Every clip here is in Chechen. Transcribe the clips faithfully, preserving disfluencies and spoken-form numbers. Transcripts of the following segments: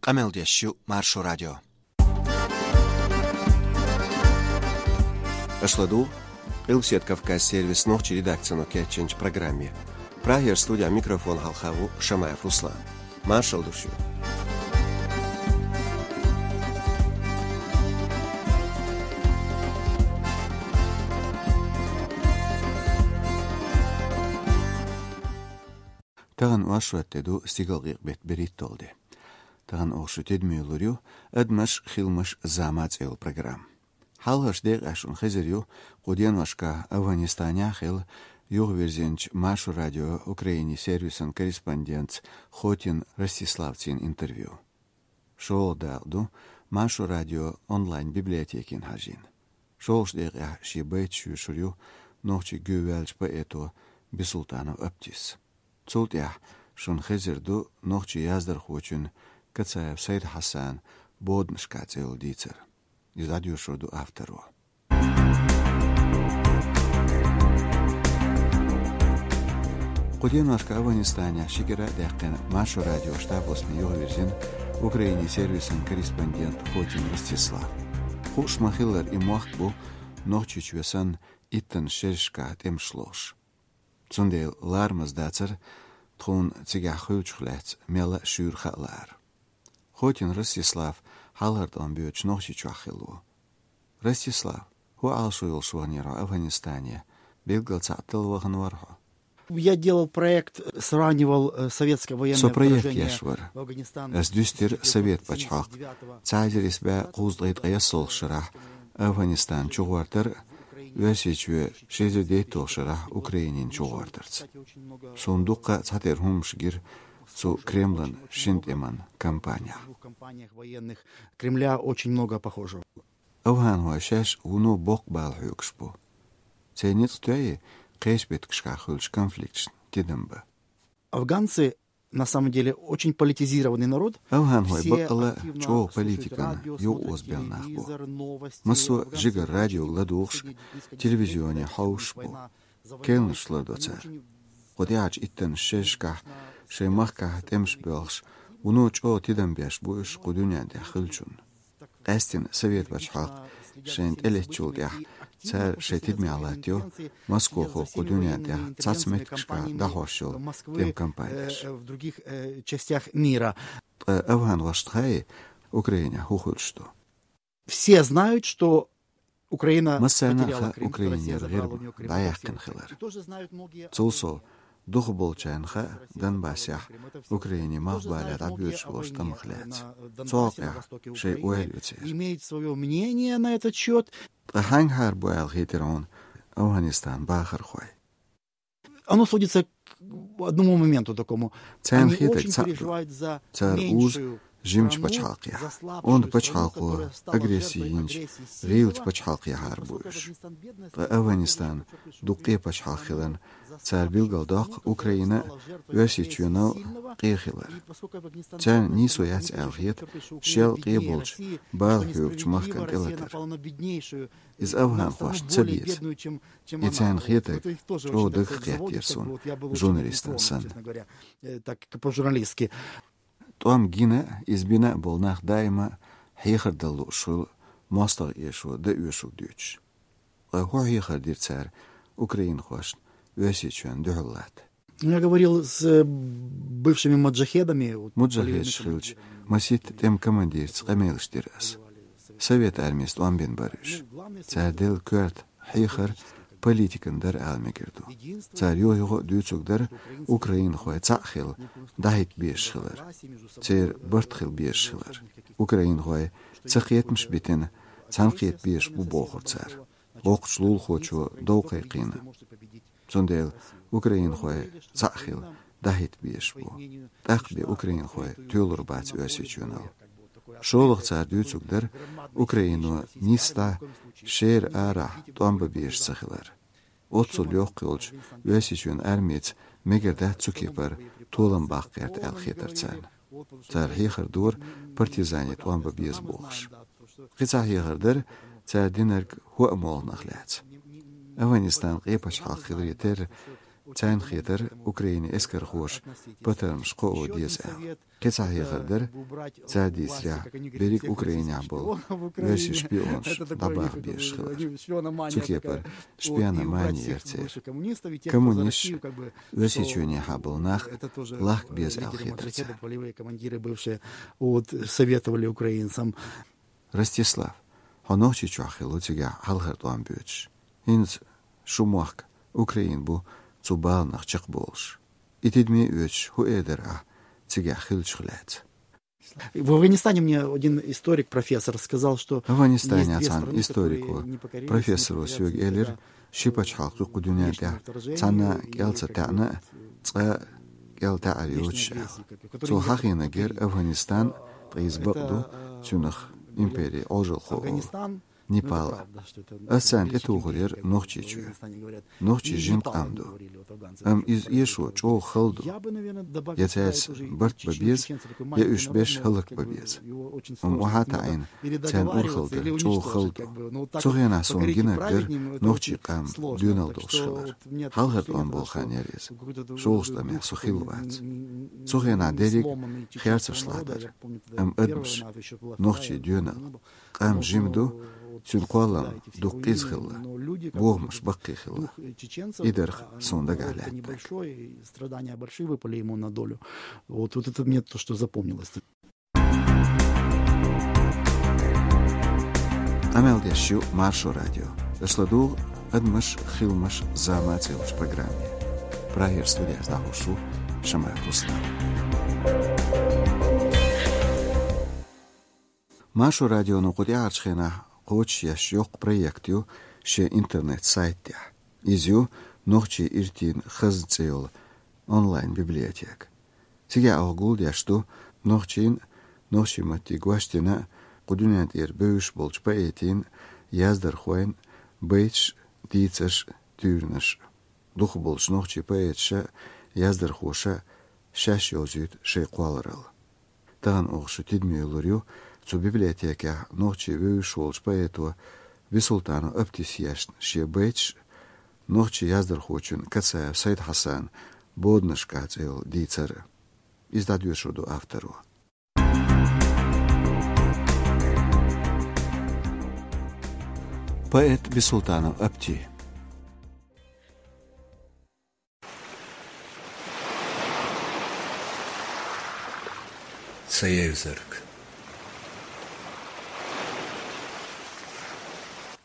Къамел деш ю Маршо радио. Аша ладугӀу Къилбаседа Кавказан сервисан нохчийн редакцино кечйинчу программе. Прагера студин микрофона хьалха ву Шамаев Руслан. Маршалла ду шуьга. Тахана оршот де ду, стигалкъекъа беттан берхӀитталгӀа де. Тахана оха шун тидаме лур ю «Адамаш, хиламаш, зама» цӀе йолу программа. Хьалхарчу декъехь шуна хезар ю кху деношкахь Афганистанехь хилла юхавирзинчу Маршо радион Украинин сервисан корреспондентца Хотин Ростиславцин интервью. ШолгӀа дакъа ду Маршо радион онлайн-библиотекина хьажийна. ШолгӀачу декъехь шен байташ йоьшур ю нохчийн гӀоьваьллачу поэто Бисултанов Аптис. Цул тӀаьхьа шуна хезар ду нохчийн яздархочун Кацаев Сайд-Хьасанан «Боданашкахь» цӀе йолу дийцар. Иза дӀадоьшур ду авторо. Кху деношкахь Афганистанехь ши кӀира а даьккхина, Маршо радион штаб-хьостане юхавирзина Украинин сервисан корреспондент Хотин Ростислав. Хууш ма-хиллара, и мохк бу Нохчийчоь санна иттаннаш шерашкахь тӀемаш лохуш. Цундела ларамаза дацара тхуна цигахь хуьлучух лаьцна мелла а шуьйра хаа лаар. Хотин Ростислав хьалхара тӀом боьдуш Нохчийчохь хилла ву. Ростислав, хӀун Ӏалашо йолуш ваханера хьо Афганистане? Билггал цхьаъ талла вахана вара хьо? Я делал проект, сравнивал, э, советское военное вторжение в Афганистан тысяча девятьсот тридцать девятого года. Со проект еш вара. Ас дуьстира совет пачхьалкх ца хьажар исс бӀе кхузткъе ткъайоьсналгӀачу шарахь Афганистан чугӀортар, Оьрсийчоь ши эзар дейтталгӀачу шарахь Украинина чугӀортарца. Суна дуккха а цхьатерра хӀуманаш гира цу Кремлан шина тӀеман кампанехь. Кремля очень много похожего. Афганхой шаьш вуно боккха бала хьоьгуш бу. Церан ницкъ тоьий кхечу беттигашкахь хуьлучу конфликташна тидам бан? Афганцы, на самом деле, очень политизированный народ. Афганхой баккъалла а чӀогӀа политикана юкъаозабелла нах бу. Массо а жигара радиога ладугӀуш, телевизионе хьовсуш бу. Керланаш лардо цара. Кху тӀаьхьарчу иттаннаш шерашкахь шайн махкахь тӀемаш боьлхуш, вуно чӀогӀа тидам беш бу уьш кху дуьнен тӀехь хиллачунна. Къаьсттина совет пачхьалкх шайна тӀелеттачул тӀаьхьа цара шайн тидамехь латтайо, Москохо кху дуьнен тӀехь цхьацца меттигашкахь дӀахьош йолу тӀеман кампанеш. Ткъа афганхошна хаьий, Украинехь хӀун хуьлуш ду? Все знают, что Украина потеряла Крым, что Россия забрала у неё Крым. Массарна хаьа Украинера гӀирма дӀаяьккхина хилар. Цул сов, дукхахболчарна хаьа Донбассехь Украинин малхбале дӀабоьдуш болчу тӀамах лаьцна. Цу хьокъехь шайн ойла ю церан. Имеют своё мнение на этот счёт. Ткъа хьаьнгахьара бу аьлла хетира хьуна Афганистанан бахархой? Оно сводится к одному моменту такому. Царна хетарг цхьаъ ду. Цара узу жимачу пачхьалкхехь, онда пачхьалкхо агресси йинчу гӀийлачу пачхьалкхехьара бу уьш. Ткъа Афганистан дукха къен пачхьалкх хиларна, цара билгалдоккху Украина а, Оьрсийчоьнал а къен хилар. Царна нийсо яц аьлла хета шел къен болчу бала хьоьгучу махкана тӀелатар. Иза афганхошна ца беза. И царна хетарг чӀогӀа дагах кхеттера суна журналистана санна. ТӀом гина а, иза бина а болу нах даима а хьехар дала лууш хуьлу мостагӀа эшо дан оьшург дуьйцуш. Ткъа хӀун хьехар дира цара украинхошна Оьрсийчоьнна дуьхьал латта? Я говорил с, э, бывшими маджахедами, вот. Муджахедаш хилча, масийтта тӀеман командирца къамелаш дира аса. Совет армица тӀом бина бара уьш. Цара делла коьрта хьехар политикан дара ала мегар ду. Цара юха-юха а дуьйцург дара украинхой цхьаъ хила, дӀахӀитта безаш хилар. Церан барт хила безаш хилар. Украинхой ца кхетамаш а битина, цхьаьна кхета безаш бу бохура цара. Воккхачу лулахочо дов кхайкхийна. Цундела украинхой цхьаъ хила, дӀахӀитта безаш бу. ТӀаккха бен украинхой тоьлур бац Оьрсийчоьнал. ШолгӀа цара дуьйцург дара Украино нийсса дӀа шера арахь тӀом бан безаш ца хилар. Оццул йоккха йолчу Оьрсийчоьнан армица мегар дац цу кепара толам баккха гӀерта аьлла хетара царна. Цара хьехар дора партизане тӀом бан беза бохуш. Кхин цхьа хьехар дара цара динарг хӀоъ молханах лаьцна. Афганистан къен пачхьалкх хиларе терра, Царна хетар, Украинан эскархоша патармаш кхоо деза аьлла. Кхин цхьа хьехар дар, цар дийцарехь, берриг Украинехь болу оьрсийн шпионаш дӀабаха безаш хилар. Цу кепара шпиономани яра церан. Коммунисташ, Оьрсийчоьнехьа болу нах лахка беза аьлла хетар царна. Вот, советовали украинцам. Ростислав, хьо Нохчийчохь хилла цигахь хьалхара тӀом боьдуш. ХӀинца шун мохк Украина бу цу баланах чекхболуш. И тидаме оьцуш хӀун эр дара ахь цигахь хиллачух лаьцна? В Афганистане мне один историк, профессор, сказал, что Афганистане цхьана историко, профессоро соьга элира, ши пачхьалкх ю кху дуьнен тӀехь цхьанна кӀел ца таьӀна, цкъа кӀел таьӀар йоцуш аьлла. Цо хьахийнарг яра Афганистан, ткъа иза бакъ ду, цуьнах импери Ӏожалхо олу. Непал. Ас царна тӀетухур яра Нохчийчоь. Нохчий жима къам ду. Амма иза эшо чӀогӀа хала ду. Я цаьрца барт бан беза, я уьш беш хӀаллакбан беза. Амма охьа а таӀийна, царна урхалла дан чӀогӀа хала ду. Цу хенахь суна гинарг дара нохчийн къам доьналла долуш хилар. Хьалхара тӀом болу хан яра иза. ШолгӀачу тӀамехь со хилла вац. Цу хенахь дерриг херцарш лахьа дара. Амма адамаш, нохчийн доьналла. Къам жима ду, цуьнан кхоллам дукха къиза хилла, бохамаш баккхий хилла. И дара суна дагахь лаьттарг. Страдания большие выпали ему на долю. Вот, вот это мне то, что запомнилось. Къамел деш ю Маршо радио. Аша ладугӀу «Адамаш, хиламаш, зама» цӀе йолчу программе. Прагера студехь дӀахьош ву Шамаев Руслан. Маршо радионо кху тӀаьхьарчу хенахь кхочушъеш йоккха проект ю шен интернет-сайт тӀехь. Иза ю нохчийн иртийн хазна цӀе йолу онлайн-библиотека. Цигахь оха гулдеш ду нохчийн, нохчийн маттий гочдина, кху дуьнен тӀера бевзаш болчу поэтийн, яздархойн байташ, дийцарш, туьйранаш. Дукхахболчу нохчийн поэташа, яздархоша шаьш йовзуьйту шайн кхолларалла. Тахана оха шу тидаме лур ю цу библиотекехь нохчийн вевзаш волчу поэто Бисултанов Аптис ешна шен байташ, нохчийн яздархочун Кацаев Сайд-Хьасанан «Боданашкахь» цӀе йолу дийцар. Иза дӀадоьшур ду авторо. Поэт Бисултанов Апти. Ца евзарг.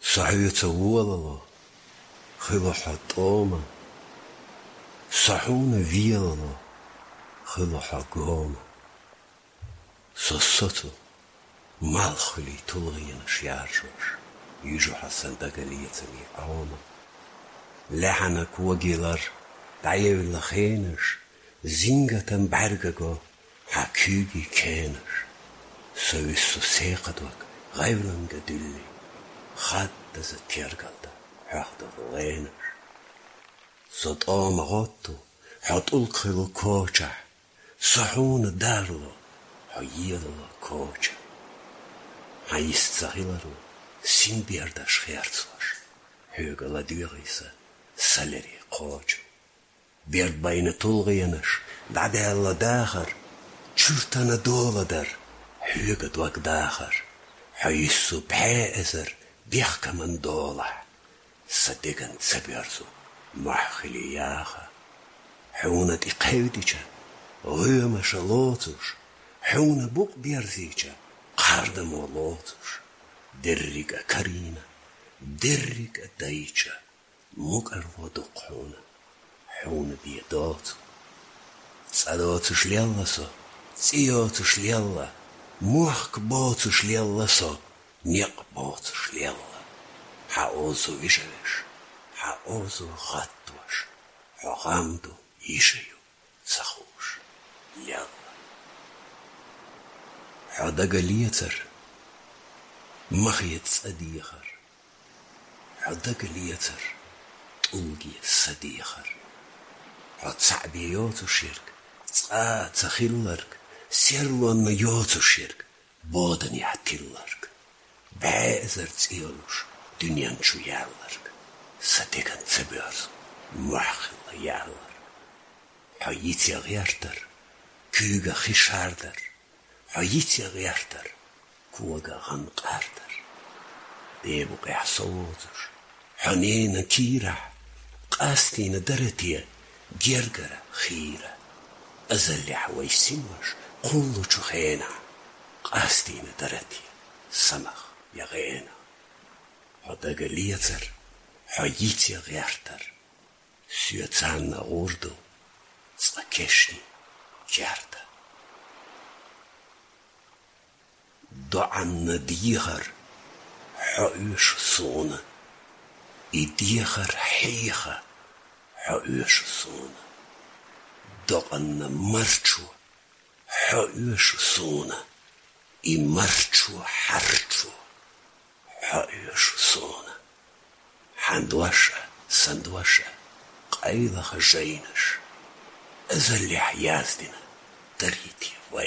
Со хьоьца волало, хила хьо тӀома. Со хьуна велало, хила хьо гома. Со соцу малххуьлий тулгӀенаш яржош, юьжу хьо сан дагалецамийн Ӏома. Лаьхьанан когий лар дӀаевлла хенаш, зингатан бӀаьрга го хьан куьйгийн кенаш. Со вуьссу секхадог гӀевланга дуьлли, хаддаза тергалда хьоьхдолу гӀенаш. Со тӀома гӀотту хьо тӀулг хилу кочахь, со хьуна дарло хьо елало коча. Хьан йист ца хиларо синбердаш херцош, хьоьга ладоьгӀий сан салерий кхочу. Берд байна тулгӀенаш, дӀадаьлла дахар, чуьртана доладар, хьоьга дог дахар, хьо йиссу пхьеэзар бехкаман долахь. Сан деган ца боьрзу мохь хили яха. Хьуна тӀе кхевдича, гӀоьмаша лоцуш, хьуна букъ берзийча, кхардамо лоцуш, дерриг а карийна, дерриг а дайча, мукӀарло дукха хьуна, хьуна бен доцу. ЦӀа доцуш лелла со, цӀе йоцуш лелла, мохк боцуш лелла со, некъ боцуш лелла. Хьан озо вижавеш, хьан озо гӀаттош, хьо гӀам ду, йиша ю, ца хууш лелла. Хьо дагалецар, махе цӀа дехар. Хьо дагалецар, тӀулге са дехар. Хьо цхьаъ бен йоцуш ерг, цкъа а ца хилларг, серлонна йоцуш ерг, боданехь тилларг. БӀе эзар цӀе йолуш дуьнен чу яьлларг, сан деган ца боьрзу мохь хилла яьлар. Хьо йицъяь гӀертар, куьйга хи шардар. Хьо йицъяь гӀертар, кога гӀан къардар. Де-букъехь со воцуш, хьо ненан кийрахь, къастийна дара те гергара хийра? Азаллехь вай синош кхуллучу хенахь, къастийна дара те самах я гӀенах? Хьо дагалецар, хьо йицъяь гӀертар, соьца царна гӀур ду цкъа кешнийн керта. ДоӀанна дехар хьо оьшу суна, и дехар хьеха хьо оьшу суна. Докъанна марчо хьо оьшу суна, и марчо хьарчо хьо оьшу суна. Хьан дош а, сан дош а, къайлаха жайнаш, азаллехь яздина дарий те вай?